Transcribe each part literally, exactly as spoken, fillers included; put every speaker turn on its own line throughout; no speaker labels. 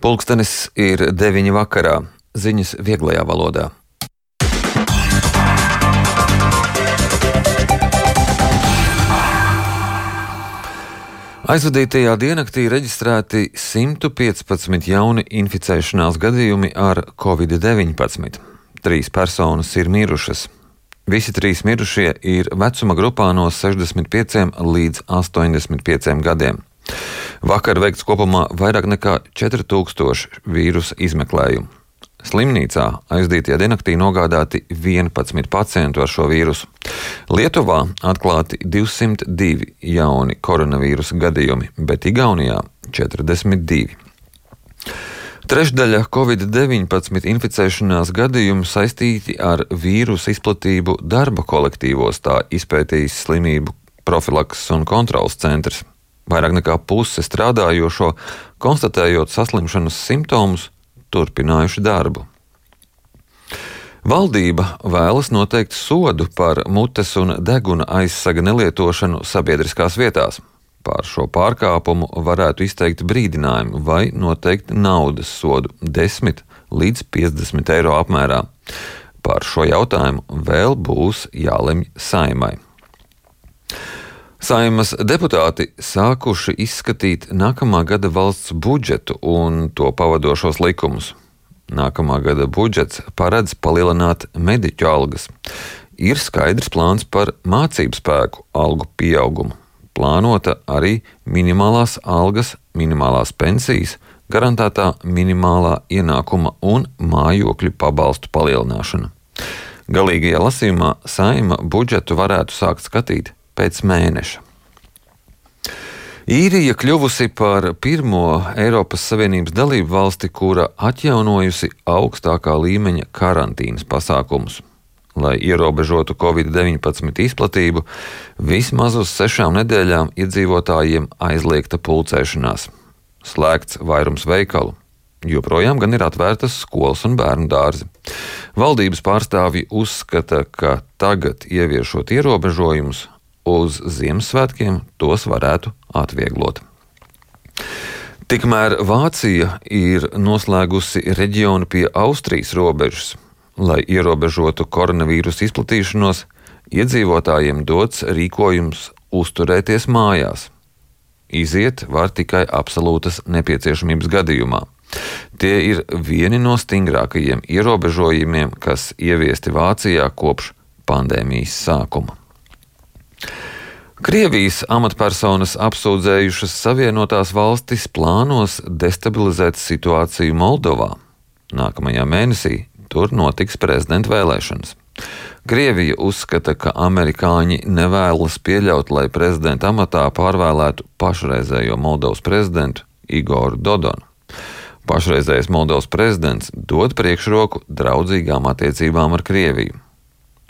Pulkstenis ir deviņi vakarā. Ziņas vieglajā valodā. Aizvadītajā diennaktī reģistrēti simt piecpadsmit jauni inficēšanās gadījumi ar covid deviņpadsmit. Trīs personas ir mirušas. Visi trīs mirušie ir vecuma grupā no sešdesmit pieciem līdz astoņdesmit pieciem gadiem. Vakar veikts kopumā vairāk nekā četri tūkstoši vīrusa izmeklējumu. Slimnīcā aizdītajā diennaktī nogādāti vienpadsmit pacientu ar šo vīrusu. Lietuvā atklāti divsimt divi jauni koronavīrusa gadījumi, bet Igaunijā četrdesmit divi. Trešdaļa covid deviņpadsmit inficēšanās gadījumu saistīti ar vīrusa izplatību darba kolektīvos, tā izpētījis slimību profilakses un kontroles centrs. Vairāk nekā puse strādājošo, konstatējot saslimšanas simptomus, turpinājuši darbu. Valdība vēlas noteikt sodu par mutes un deguna aizsaga nelietošanu sabiedriskās vietās. Par šo pārkāpumu varētu izteikt brīdinājumu vai noteikt naudas sodu desmit līdz piecdesmit eiro apmērā. Par šo jautājumu vēl būs jālemj Saeimai. Saeimas deputāti sākuši izskatīt nākamā gada valsts budžetu un to pavadošos likumus. Nākamā gada budžets paredz palielināt mediķu algas. Ir skaidrs plāns par mācību spēku algu pieaugumu. Plānota arī minimālās algas, minimālās pensijas, garantētā minimālā ienākuma un mājokļu pabalstu palielināšana. Galīgajā lasījumā Saeima budžetu varētu sākt skatīt pēc mēneša. Īrija kļuvusi par pirmo Eiropas Savienības dalību valsti, kura atjaunojusi augstākā līmeņa karantīnas pasākumus. Lai ierobežotu covid deviņpadsmit izplatību, vismaz uz sešām nedēļām iedzīvotājiem aizliegta pulcēšanās. Slēgts vairums veikalu. Joprojām gan ir atvērtas skolas un bērnu dārzi. Valdības pārstāvji uzskata, ka tagad ieviešot ierobežojumus, uz Ziemassvētkiem tos varētu atvieglot. Tikmēr Vācija ir noslēgusi reģionu pie Austrijas robežas. Lai ierobežotu koronavīrusa izplatīšanos, iedzīvotājiem dots rīkojums uzturēties mājās. Iziet var tikai absolūtas nepieciešamības gadījumā. Tie ir vieni no stingrākajiem ierobežojumiem, kas ieviesti Vācijā kopš pandēmijas sākuma. Krievijas amatpersonas apsūdzējušas Savienotās valstis plānos destabilizēt situāciju Moldovā. Nākamajā mēnesī tur notiks prezidenta vēlēšanas. Krievija uzskata, ka amerikāņi nevēlas pieļaut, lai prezidenta amatā pārvēlētu pašreizējo Moldovas prezidentu Igoru Dodonu. Pašreizējais Moldovas prezidents dod priekšroku draudzīgām attiecībām ar Krieviju.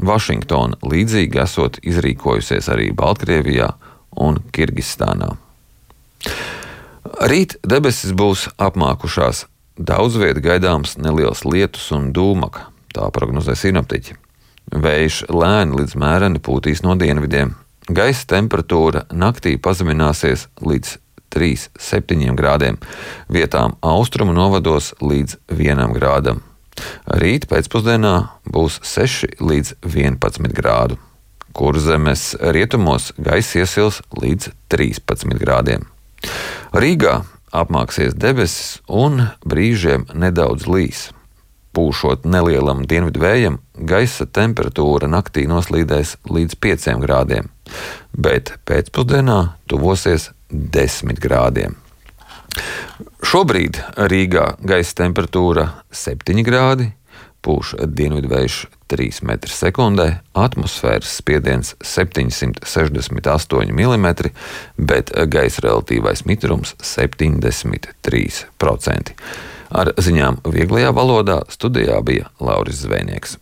Vašingtona līdzīgi esot izrīkojusies arī Baltkrievijā un Kirgistānā. Rīt debesis būs apmākušās. Daudz viet gaidāms neliels lietus un dūmaka, tā prognozē sinoptiķi. Vējš lēni līdz mēreni pūtīs no dienvidiem. Gaisa temperatūra naktī pazemināsies līdz trīs līdz septiņiem grādiem, vietām austrumu novados līdz vienam grādam. Rīt pēcpusdienā būs seši līdz vienpadsmit grādu. Kurzemes rietumos gaisa iesils līdz trīspadsmit grādiem. Rīgā apmāksies debesis un brīžiem nedaudz līs. Pūšot nelielam dienvidu vējam, gaisa temperatūra naktī noslīdēs līdz pieciem grādiem, bet pēcpusdienā tuvosies desmit grādiem. Šobrīd Rīgā gaisa temperatūra septiņi grādi, pūš dienvidvējš trīs metri sekundē, atmosfēras spiediens septiņsimt sešdesmit astoņi milimetri, bet gaisa relatīvais mitrums septiņdesmit trīs procenti. Ar ziņām vieglajā valodā studijā bija Lauris Zvejnieks.